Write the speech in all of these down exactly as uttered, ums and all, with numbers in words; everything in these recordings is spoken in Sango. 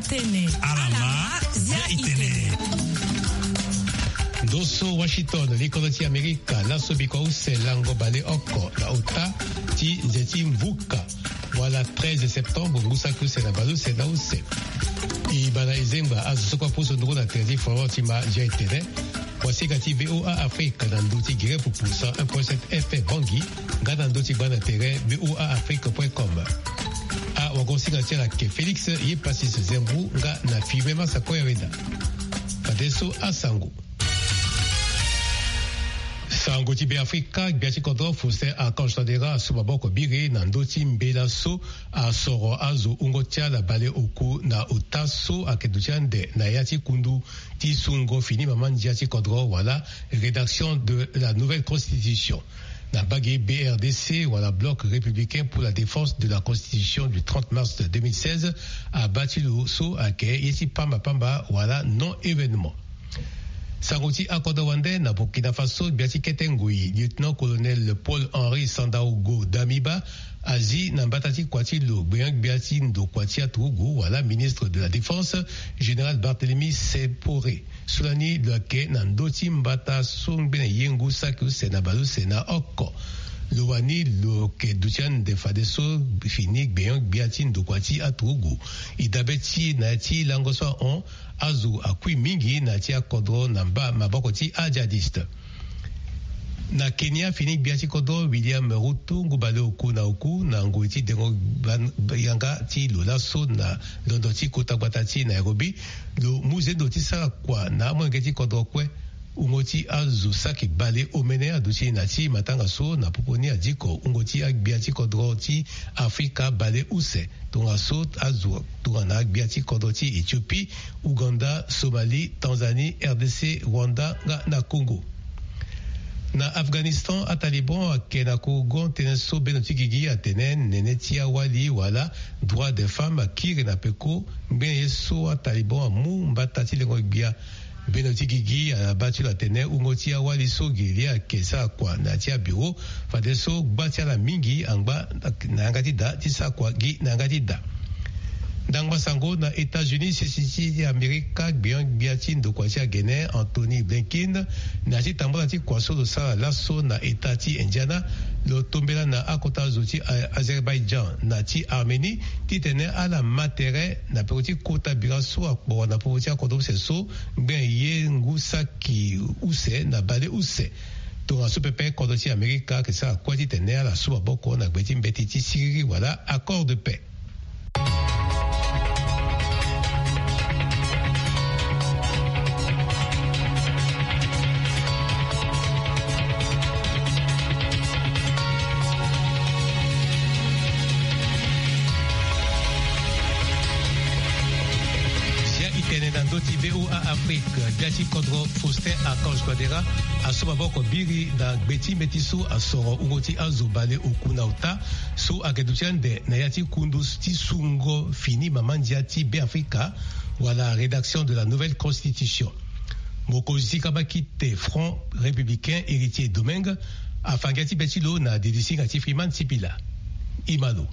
Tene. Alama, zia itene. Ndo so Washington, likolo ti Amerika, laso bikua use lango baleoko na ota ti nze ti mvuka, wala treize septembre, ngu saki use na baleuse na use. E baa na e zengba azo so kue apusu nduru na tere ti Florent ti ma zia itene. Wasinga ti V O A Afrique na ndö ti gere pupu cent un point sept F M Bangui, nga na ndö ti gba na tere V O A Afrique point com. Awagosinga ti ala ayeke Félix Yepasis Zembrou nga na Firmin Massakoya Weda. Fadeso asango. Sango ti Beafrika, gbia ti kodro Faustin Archange Touadéra asu maboko biri na ndö ti mbela so asoro azo wungo ti ala baleoku na ota so ayeke duti ande na ya ti kundu ti sungo fini mama ndia ti kodro wala rédaction de la nouvelle constitution. Na mbage B R D C wala Bloc républicain pour la défense de la constitution du trente mars deux mille seize abaa ti lo so ayeke ye ti pamba pamba wala non événement. Sango ti akodro wande na Burkina Faso, gbia ti kete ngoi, lieutenant-colonel Paul-Henri Sandaogo Damiba, azi na mbata ti kua ti lo gbenyo-gbia ti ndokua ti aturugu wala ministre de la Défense, général Barthélemy Sempore. So lani lo yeke na ndö ti mbata so ngbene ye ngu saki use na baleuse na oko. Lo wani lo yeke duti ande fadeso fini gbenyo-gbia ti ndokua ti aturugu. E dabe ti e na ya ti lango so ahon, azo akui mingi na ya ti akodro na mba maboko ti ajihadiste. Na Kenya, fini gbia ti kodro William Ruto, ngu baleoku na oku, na ngoi ti dengo ban-, yanga ti lo laso na londo ti kota gbata ti Nairobi, lo mu zendo ti sara kua na amolenge ti kodro kue. Wungo ti azo saki baleomene aduti na ya ti matanga so na popo ni adiko wungo ti agbia ti kodro ti Afrika baleuse. Tongaso azo tongana agbia ti kodro ti Éthiopie, Ouganda, Somalie, Tanzanie, R D C, Rwanda nga na Congo. Na Afghanistan, aTaliban ayeke na kogo tënë so bendo ti gigi atene nene ti awali wala droit des femmes akiri na peko. Ngbene ye so aTaliban amu mbata ti lengo gbia. Bendo ti gigi abaa ti lo atene wungo ti awali so gi li ayeke sara kua na ya ti abiro, fadeso gba ti ala mingi angba na yanga ti da ti sara kua gi na yanga ti da. Ndangba sango na États-Unis, sese ti Amerika, gbenyo-gbia ti ndokua ti agene Antony Blinken, na ya ti tambula ti kua so lo sara laso na État ti Indiana, lo tombela na akota zo ti A-, Azerbaïdjan na ti Arménie, titene ala ma tere na peko ti kota bira so akporo na popo ti akodro use so ngbene ye ngu saki use na baleuse. Tongaso pepe kodro ti Amerika ayeke sara kue titene ala su maboko na gbe ti mbeti ti siriri wala accord de paix. Zia itene na ndö ti V O A Afrique, gbia ti kodro Faustin Archange Touadéra asu maboko biri na gbe ti mbeti so asoro wungo ti azo baleoku na ota so ayeke duti ande na ya ti kundu ti sungo fini mama ndia ti Beafrika, wala rédaction de la nouvelle constitution. Mokonzi ti kabakite Front Républicain, Héritier Domingue, afa ngia ti be ti lo na didi singa ti Freeman Sipila. E ma lo.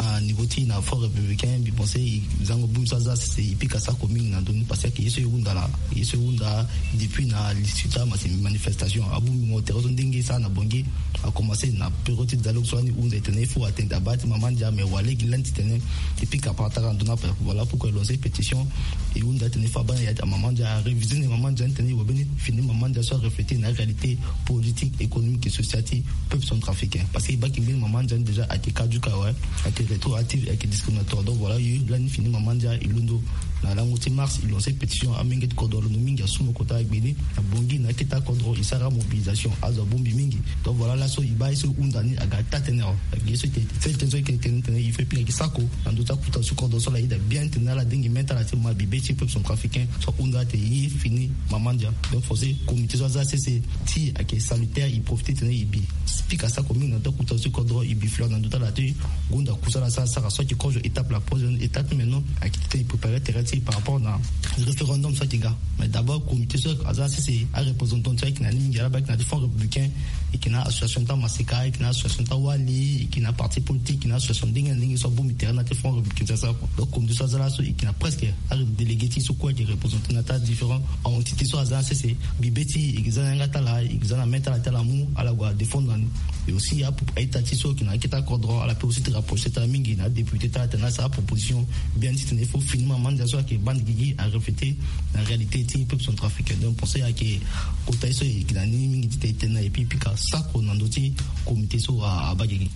Na niveau ti na Front Républicain, mbi pense e zango bongbi so aza sese e pika sako mingi na ndö ni, parce que ye so e hunda laa, ye so e hunda depuis na li ti ota ma si manifestation abongbi mo tere so ndenge e sara na Bangui. A commencé na période ti dialogue so ani hunda e tene il faut atteindre abaa ti mama ndia, mais wa lege lani titene e pika patara na ndö ni ape. Voilà pourquoi e lancer pétition. E hunda titene il faut abaa na ya ti amama ndia, a réviser na mama ndia ni titene e wa mbeni fini mama ndia so a refléter na réalité politique, économique et sociale ti peuple centrafricain. Parce que e baa yeke mbeni mama ndia ni déjà ayeke caduc awe, ayeke rétroactive, ayeke discriminatoire. Donc voilà, e lani fini mama ndia e londo. Na lango ti mars, e lancer pétition, amenge ti kodro alondo mingi asu mo kota gbe ni na Bangui na akete akodro e sara mobilisation, azo abongbi mingi. Donc voilà, laso e baa ye so e hunda ni aga taa tënë awe. Ayeke ye so e tene, sel tënë so e yeke tene titene il faut e pika gi sako na ndö ti akota ti kodro so ala yeda bien titene ala dengi mê ti ala ti ma bibe ti peuple centrafricain so ahunda titene e fini mama ndia. Donc forcé comité so aza sese ti e ayeke salutaire, e profiter titene e bi pika sako mingi na ndö ti akota ti kodro, e bi fleur na ndö ti ala ti gonda kusa. Ala sara sara so ayeke kozo étape la prochaine étape, maintenant ayeke titene e préparer terrain ti e par rapport na référendum so ayeke ga. Mais d'abord comité so aza na sese, areprésentant ti e ayeke na ni mingi, ala baa ayeke na ti front républicain, e yeke na association ti amaseka, e yeke na association ti awali, e yeke na parti politique, e yeke na association ndenge na ndenge so abongbi terrain na ti front républicain ti asara kua. Donc comité so aza laso e yeke na presque aredélégué ti e so kue ayeke représenté na ti adifférent entité so aza na sese. Mbi be ti e e yeke za na yanga ti ala, e yeke za na mê ti ala ti ala mu ala gue adéfendre na ni. Et aussi apo a-ita ti e so ayeke na akete akodro ala peut aussi ti rapproché ti ala mingi na adéputé ti ala titene asara aproposition bien titene il faut finir mama ndia so ayeke bande gigi areflété na réalité ti peuple centrafricain. Donc pensé ayeke kota ye so e yeke na ni mingi titene e tene na e epui pika sako na ndö ti comité so abaa gigi.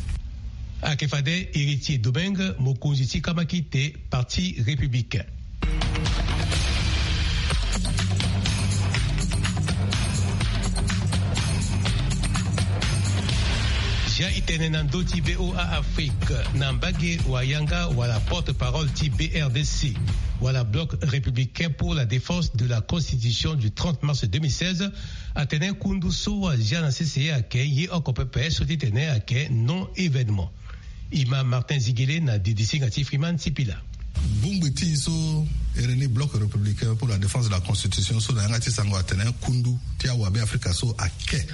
Ayeke fade Héritier Domingue, mokonzi ti kamakite Parti républicain. Zia e tene na ndö ti V O A Afrique na mbage wa yanga wala porte-parole ti B R D C wala Bloc républicain pour la défense de la constitution du trente mars deux mille seize atene kundu so azia na sese ayeke ye oko pepe so ti tene ayeke non-événement. Ima Martin Ziguele na didisinga ti Freeman Sipila. Bongbi ti e so e reni Bloc républicain pour la défense de la constitution so na yanga ti sango atene kundu ti awabe afrika so ake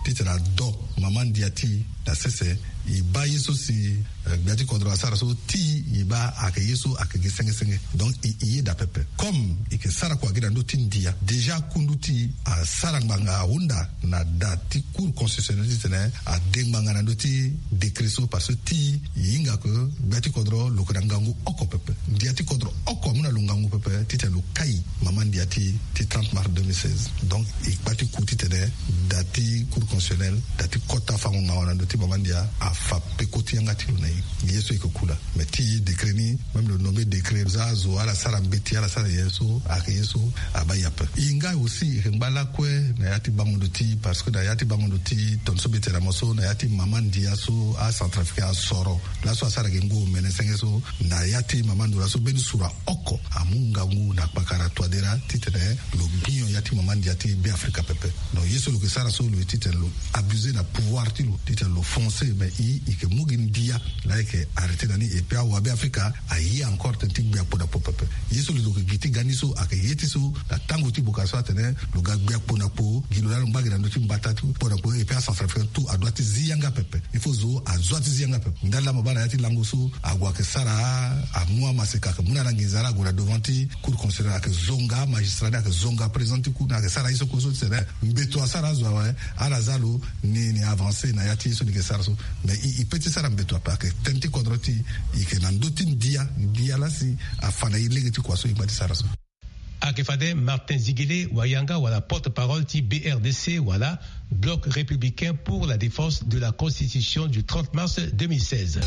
titene ado mama ndia ti e na sese. E baa ye so si gbia ti kodro asara so ti e baa ayeke ye so ayeke gi senge senge. Donc e yeda pepe comme e yeke sara kua gi na ndö ti ndia déjà kundu ti e asara ngbanga ahunda na da ti cour constitutionnelle titene ade ngbanga na ndö ti décret so parce que ti e hinga ke gbia ti kodro lo yeke na ngangu oko pepe. Ndia ti kodro oko amu na lo ngangu pepe titene lo kai mama ndia ti e ti trente mars deux mille seize. Donc e kpa ti ku titene da ti cour constitutionnelle da ti kota fango ngawa na ndö ti mama ndia afa peko ti yanga ti lo na e. Ye so e yeke ku laa mais ti e décret ni même lo nommé décret za azo ala sara mbeti ala sara nyen so ayeke ye so abaa yape. E nga aussi e yeke ngba lakue na ya ti bango ndo ti e parce que na ya ti bango ndo ti e tonga so mbi tene na mo so na ya ti mama ndia so acentrafricain asoro laso asara gi ngu omene senge so na ya ti mama ndo laso mbeni sura oko amu ngangu na kpakara toadera titene lo gbinyo ya ti mama ndia ti beafrika pepe. Donc ye so lo yeke sara so lo ye titene lo abusé na pouvoir ti lo titene lo foncé mais e e yeke mu gi ndia laa e yeke arrêté na ni et puis awabe afrika aye encore tënë ti gbia kpo na kpo pepe. Ye so lo yeke gi ti ga ni so ayeke ye ti so na tango ti buka so atene lo ga gbia kpo na kpo gi lo laa lo ngba gi na ndö ti mbata ti kpo na kpo et puis acentrafricain tout adoit ti zi yanga pepe. Il faut zo azo ti zi yanga pepe ndali laa mo baa na ya ti lango so ague ayeke sara amu amaseka ayeke mu na ala nginza laa ague na devant ti cour constitutionnelle ayeke zonga amagistrat ni ayeke zonga président ti cour ni ayeke sara ye so kue so titene mbeto asara azo awe ala za lo ni ni avancé na ya ti ye so ni yeke sara so. Mais e e pe ti sara mbeto ape ayeke tënë ti kodro ti e e yeke na ndö ti ndia ndia laa si afa na e lege ti kua so e ngba ti sara so. Ayeke fade Martin Ziguele wayanga wala porte-parole ti B R D C wala Bloc républicain pour la défense de la constitution du trente mars deux mille seize.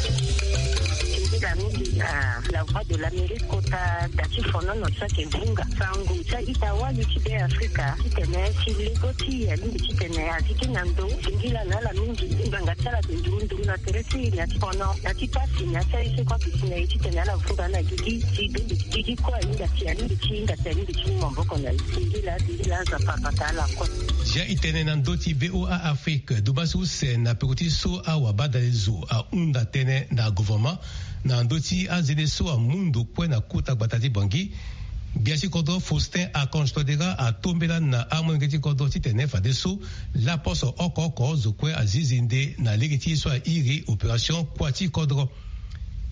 Nzila mingi na la voix de l'Amérique kota da ti fonono so ayeke vunga sango ti a-ita wali ti Beafrika titene si lego ti e alingbi titene azi gi na ndo singila na ala mingi ti ngbanga ti ala ayeke nduru nduru na tere ti e na ti fono na ti pasi na ti aye so kue ayeke si na e titene ala vunga na gigi si dongi gigi kue ahinga si alingbi ti hinga si alingbi ti mu maboko na e. Singila singila Nzapa abata ala kue. Zia e tene na ndö ti V O A Afrique duba so use na peko ti so awabadale zo ahunda tënë na gouvernement na ndö ti azende so amu ndo kue na kota gbata ti Bangui. Gbia ti kodro Faustin Archange Touadéra atombela na amolenge ti kodro titene fadeso laposo oko oko zo kue azi zende na lege ti ye so airi opération kua ti kodro.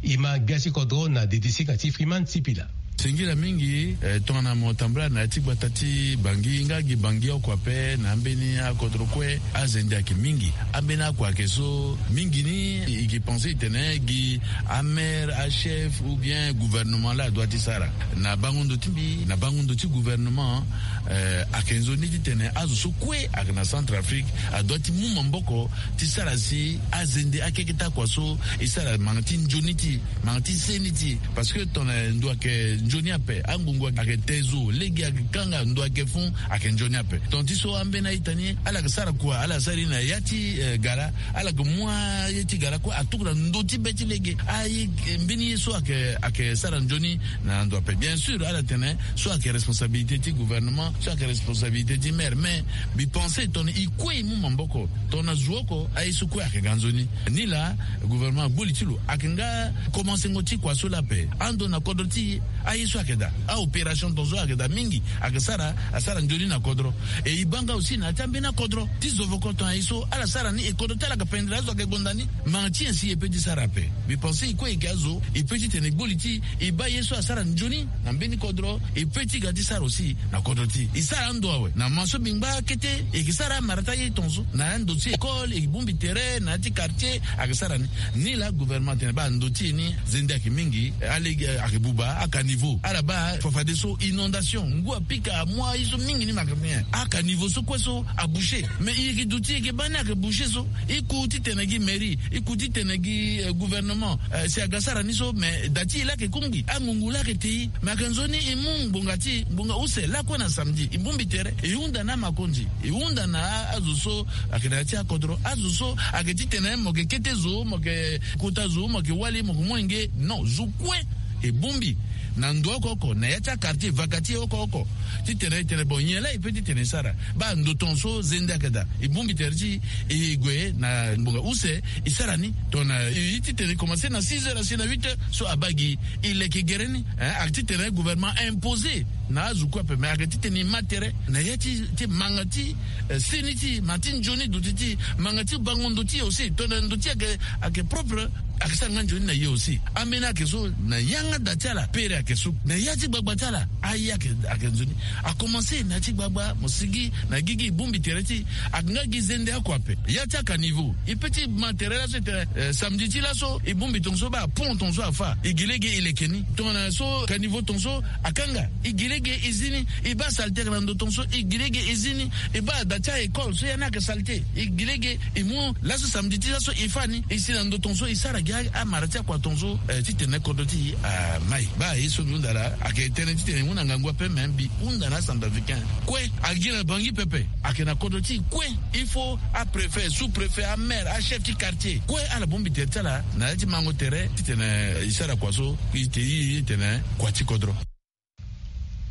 E ma gbia ti kodro na dedisinga ti Freeman Sipila. Singila mingi eh, tongana mo tambula na ya ti gbata ti Bangui nga gi Bangui oko ape na ambeni akodro kue azende ayeke mingi. Ambeni akua ayeke so mingi ni e ke pense titene gi amaire achef ou bien gouvernement laa adoit ti sara na bango ndo ti mbi na bango ndo ti gouvernement. Eh, ayeke nzoni titene azo so kue ayeke na Centrafrique adoit ti mu maboko ti sara si azende akeke ti akua so e sara manga ti nzoni ti e manga ti seni ti e. Parce que tongana ndo ayeke Nzoni ape angungu ayeke te zo lege ayeke kanga ndo ayeke fun. Ayeke nzoni ape. Tonga ti so ambeni a-ita ni ala yeke sara kua ala sara ye na ya ti gala. Ala yeke mu aye ti gala kue atuku na ndo ti be ti lege aye. Mbeni ye so ayeke sara nzoni na ndo ape bien sûr ala tene so ayeke responsabilité ti gouvernement so ayeke responsabilité ti maire mais mbi pense tongana e kue e mu maboko tongana zo oko aye so kue ayeke ga nzoni. Ni laa gouvernement agbu li ti lo ayeke nga komansengo ti kua so laa ape. Ando na kodro ti e aye so ayeke daa aopération tongaso ayeke daa mingi ayeke sara asara nzoni na kodro. E e baa nga aussi na ya ti ambeni akodro ti zovoko tongana e so ala sara ni e kodro ti ala ayeke pendere azo ayeke gonda ni. Manga ti e si e pe ti sara ape. Mbi pense e kue e yeke azo e pe ti tene e gbu li ti e e baa ye so asara nzoni na mbeni kodro e pe ti ga ti sara aussi na kodro ti e e sara ando awe na ma so mbi ngba kete e yeke sara amara ti aye tongaso na ando ti école e bongbi tere na ya ti quartier. Ayeke sara ni ni laa gouvernement atene baa ndo ti e ni zende ayeke mingi. Alege ayeke buba akaniveau ala baa fafadeso inondation ngu apika amu aye so mingi ni ma ayeke bien akaniveau so kue so aboucher. Mais e yeke duti e yeke baa ni ayeke boucher so e ku ti tene gi mairie e ku ti tene gi gouvernement si aga sara ni so mais da ti e laa ayeke kungbi angungu laa ayeke te e. Mais ayeke nzoni e mu ngbonga ti e ngbonga use lakue na samedi e bongbi tere e hunda na amakonzi e hunda na azo so ayeke na ya ti akodro azo so ayeke ti tene mo yeke kete zo mo yeke kota zo mo yeke wali mo yeke mu enge non zo kue e bongbi na ndo oko oko na ya ti aquartier vaka ti e oko oko ti tene e tene bon nyen laa e pe ti tene e sara. Baa ndo tongaso zende ayeke daa e bongbi tere ti e e gue na ngbonga use e sara ni. Tongana e ti tene e komanse na six heures asi na huit heures so abaa gi e leke gere ni. Ayeke ti tene gouvernement impose na azo kue ape mais ayeke ti tene e ma tere na ya ti ti manga ti seni ti e ma ti nzoni duti ti e manga ti bango ndo ti e aussi tongana ndo ti e ayeke propre. Ayeke sara nga nzoni na ye aussi ambeni ayeke so na yanga da ti ala pere ayeke so na ya ti gbagba ti ala. Aye ayeke nzoni akomanse na ya ti gbagba mo sigi na gigi e bongbi tere ti e. Ayeke nga gi zende oko ape ya ti akaniveau e pe ti ma tere laso e tene samedi ti laso e bongbi tongaso baa pont tongaso afa e gi lege e leke ni. Tongana so kaniveau tongaso akanga e gi lege e zi ni. E baa salete ayeke na ndo tongaso e gi lege e zi ni. E baa da ti a-école so ya ni ayeke salete e gi lege e mu laso samedi ti laso e fa ni e si na ndo tongaso e sara gi amara ti akua tongaso ti tene kodro ti e amai. Baa ye so mbi hunda laa ayeke tënë ti tene e mu na ngangu ape me mbi hunda na acentrafricain kue. Agi na bangi pepe ayeke na kodro ti e kue. Il faut apréfet sous-préfet amaire achef ti quartier kue ala bongbi tere ti ala na ya ti mango tere titene e sara kua so. E te e tene kua ti kodro.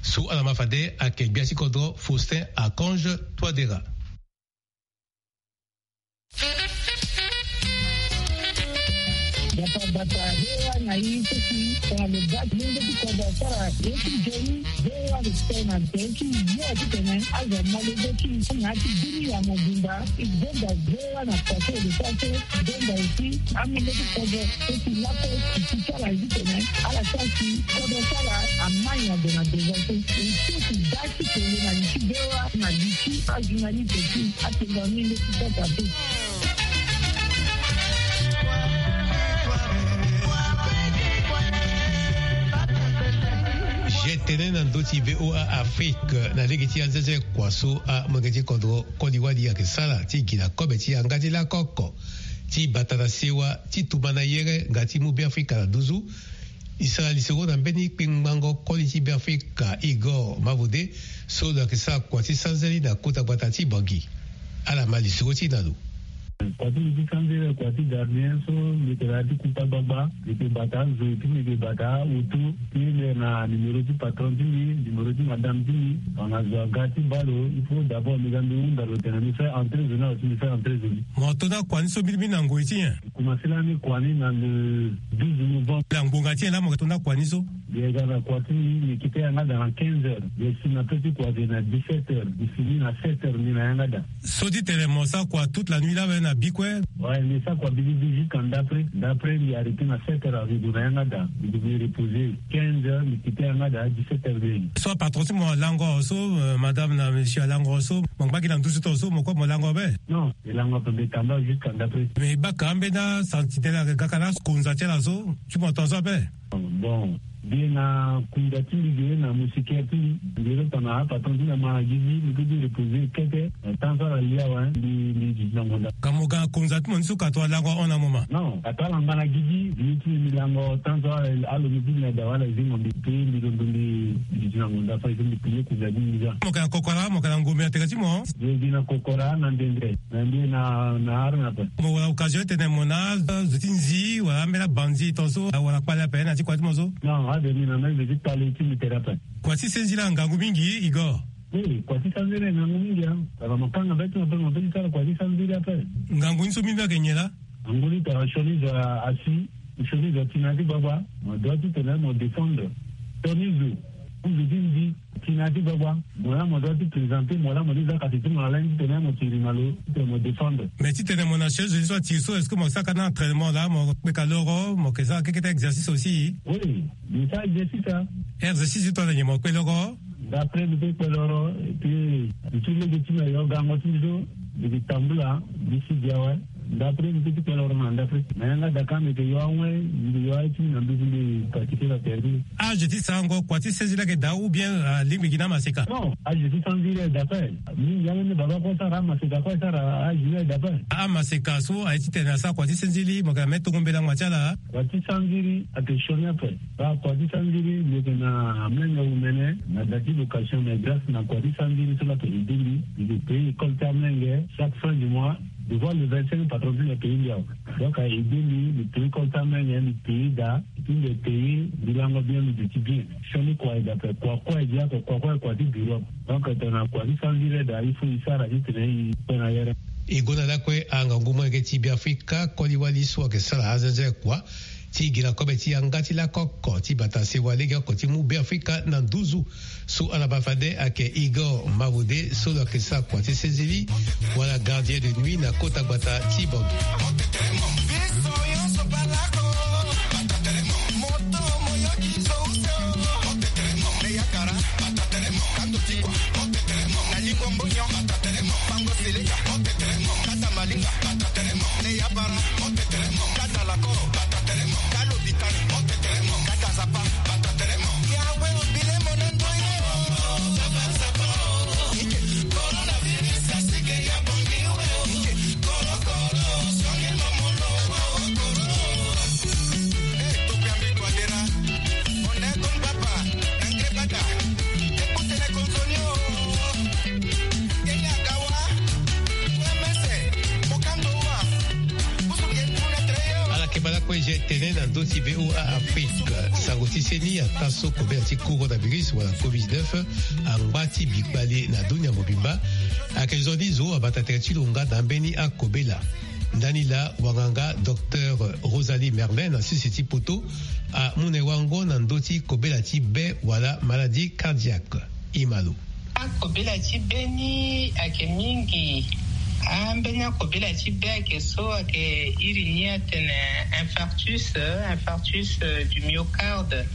So ala ma fade ayeke gbia ti kodro Faustin Archange Touadera. Bata bata hewa na i seki tongana lo ga ti lenge ti kodro asara ye ti nzoni. Hewa lo tene na nzoni ti ye titene azo ama lenge ti na ya ti bini ya mobimba. E gonda hewa na kua so lo sara so. Gonda aussi amolenge ti kodro so si laso si ti sara titene ala sara si kodro ti ala ama nyango na devant so. E so si ga ti kele na li ti hewa na li ti ajournaliste ti atongami leti kota te. Je tene na ndö ti VOA Afrique na lege ti anzenze kua so amolenge ti kodro koli wali ayeke sara ti gi na kobe ti yanga ti lako oko ti bata na sewa ti tumba na yere nga ti mu Beafrika na nduzu. E sara lisoro na mbeni kpengbango koli ti Beafrika Igor Mavode so lo yeke sara kua ti sanzeli na kota gbata ti Bangui. Ala ma lisoro ti e na lo. Kua ti mbi ti sanzele kua ti gardien so mbi yeke na ya ti kuta gbagba. Mbi yeke bata azo ti mbi yeke bata auto ti le na numéro ti patron ti mbi, numéro ti madame ti mbi. Tongana zo aga ti baa lo il faut d'abord mbi ga mbi hunda lo tene mbi fait entrer zo ni awe si mbi fait entrer zo ni. Mo to ni akua ni so mbirimbiri na ngoi ti nyen? Kumansela ni kua ni na le douze novembre. Ngbonga ti nyen laa mo yeke to ni akua ni so? Mbi yeke ga na kua ti mbi mbi kite yanga daa na quinze heures. Mbi si na pe ti kua ge na dix-sept heures. Mbi si ni na sept heures mbi na yanga daa. So ti tene mo sara kua toute la nuit laa awe na bi kue? Ouais mbi sara kua biribi jusqu'à ndapre. Ndapre mbi arrêter na sept heures azo gue na yanga daa. Mbi gue mbi reposer quinze heures mbi kite yanga daa dix-sept heures mbi. So apatron ti mo alango awe so, madame na monsieur alango awe so mo ngba gi na nduzu tongaso mo kue mo lango awe be? Non. E lango ape mbi tamba jusqu'à ndapre. Mais e baka ambeni asantinelle ayeke gaka na akonza ti ala so ti mo tongaso ape? Bon. Mbi ye na kunza ti mbi ge na moustiquaire ti mbi. Mbi ye tongana apatron ti mbi ama gi gi, mbi kue mbi reposer kete. Tan so ala li awe, mbi mbi duti na ngonda. Ka mo ga na kunza ti mo ni so ka tongana lango ahon na mo ma? Non, ka tongana ngba na gi gi, mbi ye ti mbi lango tan so alo mbi ti mbi na da wala zingo mbi pe mbi londo mbi duti na ngonda fade so mbi pile kunza ti mbi za. Mo yeke na kokora, mo yeke na ngombe na tere ti mo? Mbi ye gi na kokora na ndendre. Na mbi na na arme ape. Mo wara occasion ti tene mo na azo ti nzi wala ambeni abanzi tongaso wala kpale ape na ti kua ti mo so? Non, ade mbi na mbi ti kpale ti mbi tere ape. Kua ti senziri angangu mingi, Igor. Oui, kua ti senziri angangu mingi, hein. Tara mo kanga be ti mo ape, mo pe ti sara kua ti senziri ape. Ngangu ni so mbi mbi ayeke nyen laa? Ngangu ni tara sioni zo asi, sioni zo ati na ya ti gbagba, mo doit ti tene mo défendre. Sioni zo, zo ti nzi, ati na ya ti gbagba, mo la mo doit ti présenter, mo la mo ti za kati ti mo na lain ti tene mo tiri na lo ti tene mo défendre. Mais ti tene mo na sioni zo ti so ati so, est-ce que mo saka na entraînement laa, mo kpeka loro, mo yeke sara kekete exercice aussi? Oui, mbi sara exercice, hein. Exercice ti tongana nyen mo kpe loro? D'après mbi kpe loro, et puis mbi ti lege ti mbi ayo gango ti mbi so, mbi yeke tambula, mbi si gi awe. D'après mbi kpe ti kpe loro na ndaprès. Mais yanga daa ka mbi yeke yo awe, mbi yo aye ti mbi na nduzu mbi pratiquer na terrain. Âge ti sarango kua ti senziri ayeke daa ou bien alingbi gi na amaseka? Non, âge ti senziri ayeke daa ape. Mingi ambeni baba kue asara, amaseka kue asara, âge ni ayeke daa ape. Amaseka so aye ti tene asara kua ti senziri, mo yeke na me tongo mbela ngba ti ala? Kua ti senziri ayeke sioni ape. Baa kua ti senziri mbi yeke na amolenge omene na da ti location, mais grâce na kua ti senziri so laa ayeke aidé mbi. Mbi yeke payer école ti amolenge chaque fin du mois. Devoir le vingt-cinq patron ti mbi apayer mbi awe. Donc ayeke aidé mbi, mbi payer école ti amolenge, mbi payer da. Ti mbi payer, mbi lango bien, mbi duti bien. Sioni kua ayeke daa ape, kua kue ayeke gi ape, kua kue ayeke kua ti bureau. Donc tongana kua ti senziri daa, il faut e sara ti tene e kpe na yere. E gonda lakue angangu molenge ti Beafrika koli wali so ayeke sara azenze kua ti gira kobe ti yanga ti lako oko ti bata sewa lege oko ti mu Beafrika na nduzu. So ala baa fade ayeke Igor Mawode so lo yeke sara kua ti senziri wala gardien de nuit na kota gbata ti Bangui. Ala yeke baa lakue je tene na ndö ti V O A Afrique. Sango ti seni ataa so kobela ti coronavirus wala covid dix-neuf angba ti bikpale na dunia mobimba. Ayeke zo ni zo abata tere ti lo nga na ambeni akobela. Ndani laa wanganga docteur Rosalie Merlin na sese ti poto amu na e wango na ndö ti kobela ti be wala maladie cardiaque. E ma lo. Akobela ti be ni ayeke mingi. Ambeni akobela ti be ayeke so ayeke iri ni atene infarctus, infarctus, euh, du myocarde.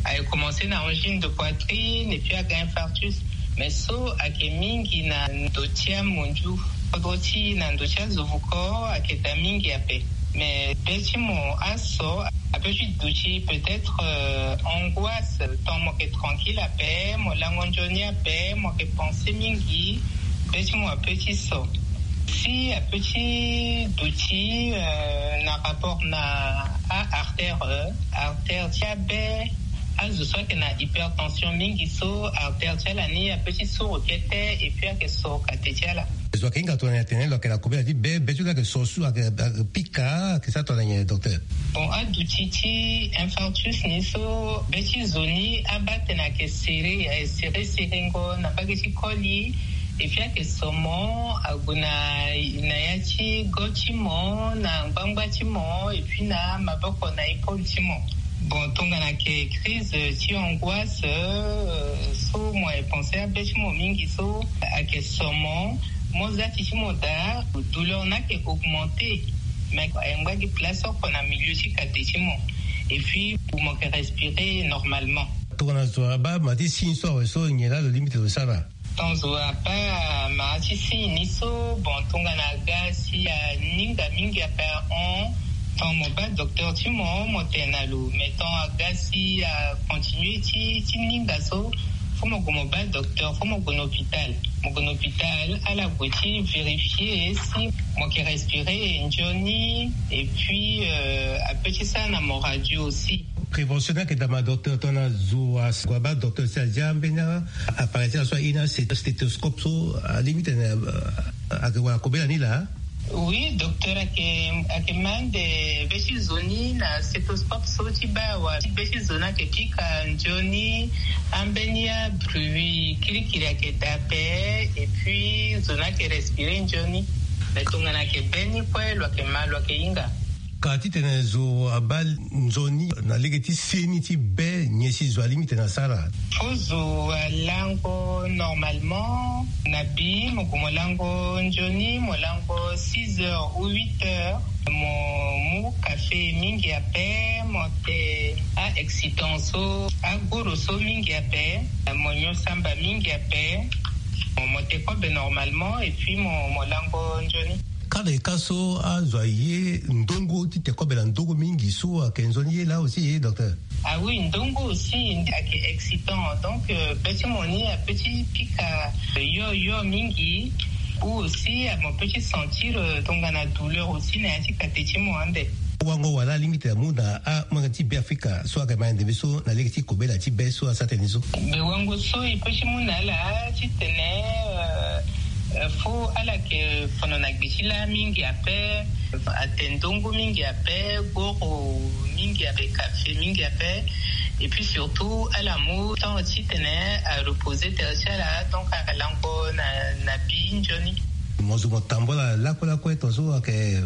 Ayeke commencer na angine de poitrine et puis aga infarctus. Mais so ayeke mingi na ndo ti amondiu. Kodro ti na ndo ti azo vuko ayeke daa mingi ape. Mais be ti mo aso ape ti duti peut-être, euh, angoisse. Tant mo yeke tranquille ape, mo lango nzoni ape, mo yeke penser mingi, be ti mo ape ti so. Si ape ti duti, euh, na rapport na a artère, euh, artère ti abe. Azo so ayeke na hypertension mingi so artère ti ala ni ape ti suru kete et puis ayeke so kate ti ala. Zo ayeke hinga tongana nyen atene lo yeke na kobela ti be, be ti lo ayeke so su, ayeke, ayeke pika, ayeke sara tongana nyen, docteur? Bon, aduti ti infarctus ni so be ti zo ni abaa atene ayeke serré, ayeke serré serengo na mbage ti koli. Et puis ayeke so mo ague na, na ya ti go ti mo, na ngbangba ti mo, et puis na maboko, na épaule ti mo. Bon, tongana ayeke crise ti angoisse, euh, so mo ayeke pensé abe ti mo mingi so ayeke so mo, mo za ti ti mo daa, douleur ni ayeke augmenté. Mais ayeke ngba gi place oko na milieu ti kate ti mo. Et puis mo yeke respirer normalement. Tongana zo abaa ma ti signe so awe so, nyen laa lo limite lo sara? Tant zo abaa ma ti signe ni so, bon, tongana aga si aninga mingi ape ahon, Tant mo baa docteur ti mo, mo tene na lo, mais tant aga si acontinue ti ti ninga so, fo mo gue mo baa docteur, fo mo gue na hôpital. Mo gue na hôpital, ala gue ti vérifier si mo yeke respirer nzoni, et puis ape ti sara na mo radio aussi. Prévention ni ayeke dama docteur, tongana zo ague abaa docteur si adia mbeni appareil ti ala so aye ni, stéthoscope so, alimite na ayeke wara kobela ni laa. Oui, docteur ayeke ayeke ma ande be ti zo ni na stéthoscope so ti baa awa, be ti zo ni ayeke pika nzoni, ambeni abruit kirikiri ayeke daa ape, et puis zo ni ayeke respirer nzoni. Mais tongana ayeke be ni kue, lo ayeke ma, lo ayeke hinga. Ka titene zo abaa nzoni na lege ti se ni ti be, nyen si zo alimite na sara? Fo zo alango normalement na bi, mo gue mo lango nzoni, mo lango six heures ou huit heures, mo mu café mingi ape, mo te a-excitant so, aguru so mingi ape, mo nyon samba mingi ape, mo te kobe normalement, et puis mo mo lango nzoni. Kade ka so azo aye ndongo ti te kobe na ndongo mingi so ayeke nzoni ye laa aussi, docteur? Ah oui, ndongo aussi ayeke excitant. Donc be ti mo ni ape ti pika yo yo mingi. Ou aussi mo peut ti sentir tongana douleur aussi na ya ti kate ti mo ande. Wango wala alimite amu na amanga ti Beafrika so ayeke ma ndembe so na lege ti kobela ti be so asara tënë ni so? Mais wango so e peut ti mu na ala titene fo ala yeke fono na gbe ti laa mingi ape, ate ndongo mingi ape, goro mingi ape, kafe mingi ape. Et puis surtout ala mu temps titene areposer tere ti ala, donc alango na na bi nzoni. Mo zo mo tambula lakue lakue tongaso ayeke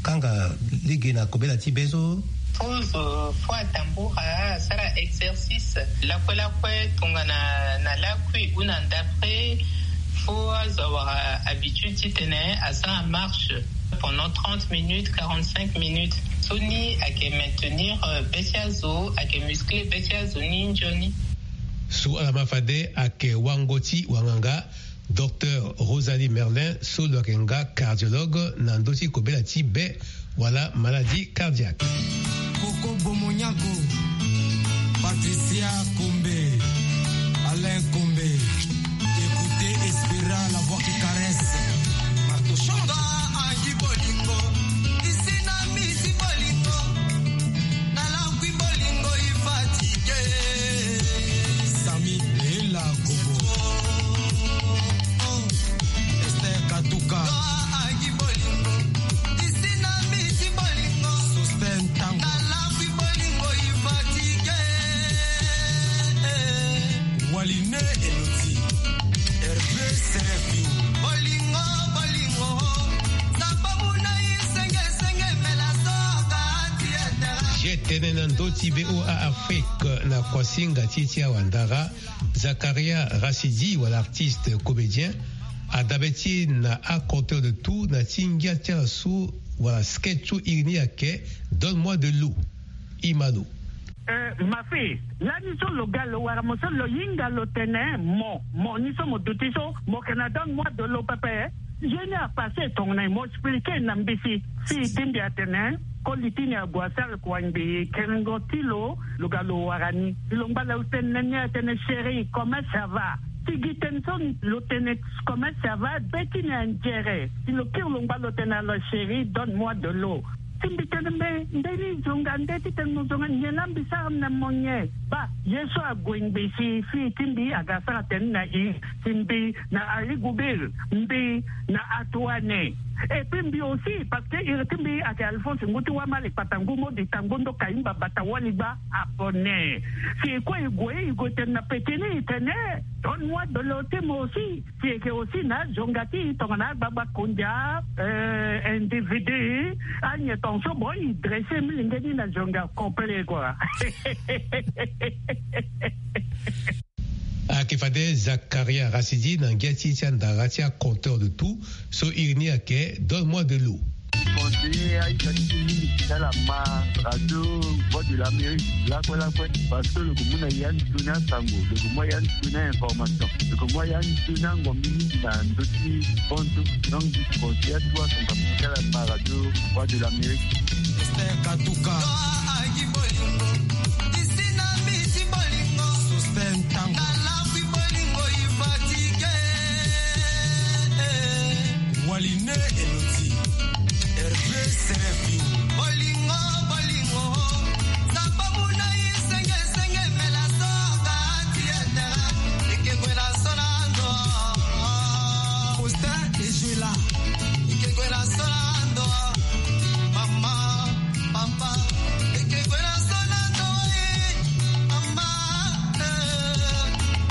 kanga lege na kobela ti be so? Fo zo fo atambura, asara exercice lakue lakue, tongana na lakui ou na ndapre. Fo azo awara habitude titene asara marche pendant trente minutes, quarante-cinq minutes. So ni ayeke maintenir be ti azo, ayeke muscler be ti azo ni nzoni. So ala ma fade ayeke wango ti wanganga, docteur Rosalie Merlin so lo yeke nga cardiologue na ndö ti kobela ti be wala maladie cardiaque. Koko Bomonyanko, Patricia Kombe, Alain Kombe. Écoutez Espera, la voix qui caresse. Marco Changa, Angi Bolingo, isi na misi Bolingo, na langui Bolingo, i fatigué. Sami Bela Kobo, Esther Katuka, Angi Bolingo, isi na misi Bolingo, Sosten Tango, na langui Bolingo, i fatigué. Waline Eloti, Hervé Serafio. Bolingo, bolingo, samba muna i senge, senge, mela soka ti etera. Ye tënë na ndö ti V O A Afrique na kuasinga ti ti awandara, Zakaria Rachidi wala artiste comédien, adabe ti e na aconteur de tout na ti ngia ti ala so wala sketch so iri ni ayeke Donne-moi de l'eau. Imano. Eh, ma fille, lani so lo ga lo wara mo so lo hinga lo tene mo, mo ni so mo duti so, mo yeke na donne-moi de l'eau pepe. Ye ni apasse tongana e, mo expliquer na mbisi. Fille ti mbi atene, koli ti ni ague asara kua ngbii, kerengo ti lo, lo ga lo wara ni. Lo ngba lo tene na ni atene, chérie, comment ça va? Si gi tënë so lo tene, comment ça va, be ti ni anzere. Si lo kiri lo ngba lo tene, alors chérie, donne-moi de l'eau. Si mbi tene mbe, nde ni zonga nde titene mo zonga nyen laa mbi sara na mo nyen? Baa, ye so ague ngbii si fille ti mbi aga asara tënë na e, si mbi na Aligubir, mbi na Atuane. Et puis mbi aussi, parce que iri ti mbi ayeke Alphonse Ngu ti Wamali, Kpata Ngu Modi, Tango Ndo Kayimba, Bata Waligba, Abonné. Si e kue e gue, e gue tene na peti ni, e tene, donne-moi de l'eau ti mo aussi. Si e yeke aussi na azonga ti e tongana agbagba kondia, euh, individu, anyen tongaso, bon, e dresse milenge ni na zonga complet, quoi. Ayeke fade Zakaria Rachidi na ngia ti e ti andara ti aconteur de tout so iri ni ayeke Donne-moi de l'eau. Conseiller aita ti e mingi ti ala ma radio Voix de l'Amérique lakue lakue, parce que lo yeke mu na ya nzoni asango, lo yeke mu ya nzoni a-information, lo yeke mu ya nzoni angombi mingi na ndö ti bonzo. Donc mbi conseiller atu asamba ti ala ma radio Voix de l'Amérique. Katuka. Sosten Tango. Waline Eloti. Hervé Serefio. Faustin Ezuela.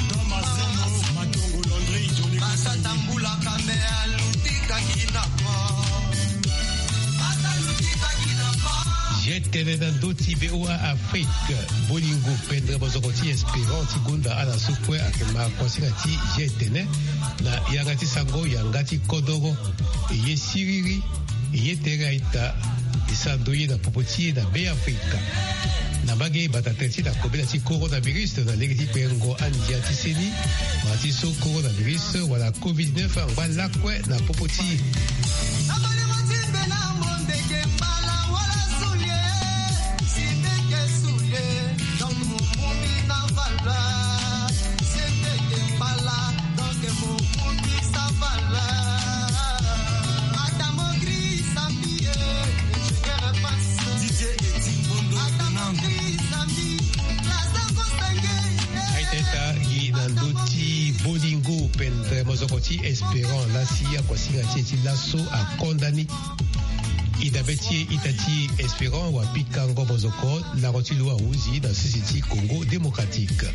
Don Mazeno Matongo Landry Johnny Kasangui. Ye tene na ndö ti B O A Afrique, bolingo pendere mozoko ti Espérant ti gonda ala so kue ayeke ma kuasinga ti ye tene na yanga ti sango yanga ti kodoro. E ye siriri, e ye tere a-ita, e sara ndoye na popo ti e na Beafrika. Na mbage e bata tere ti na kobela ti coronavirus na lege ti kpengo andia ti seni, wala ti so coronavirus wala covid neuf angba lakue na popo ti e. Aita gi na ndö ti bolingo pendere mozoko ti Espérant lasi akuasinga ti e ti laso akonda ni. E dabe ti e ita ti Espérant wa pikango mozoko lango ti lo ahuzi na sese ti Congo Démocratique.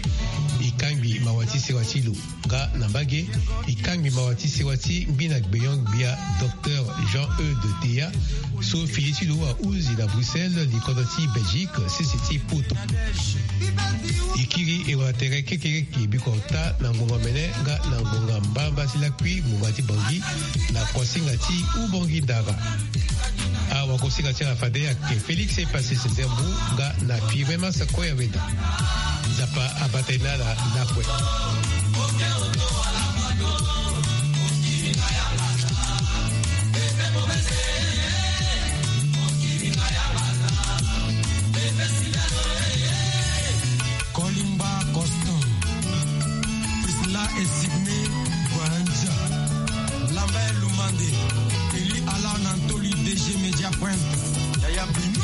E kangbi mawa ti sewa ti lo. Nga na mbage, e kangbi mawa ti sewa ti ngbina gbenyo-gbia Docteur Jean Eudes Teya, so fini ti lo ahuzi na Bruxelles, li kodro ti Belgique, sese ti poto. E kiri e wara tere kekereke biko ota na ngonga mene nga na ngonga mbamba ti lakui ngonga ti Bangui na kuasinga ti Ubangui Ndara. Awakosinga ti ala fade ayeke Félix Epassis Zembu nga na Firmin Massa Koyaweda. Nzapa abata e na ala lakue. Kolimba Constant, Priscilla et Sydney Boanja, Lambert Lumande, Eli Alan Antoli, D G Media Point, Yaya Bino.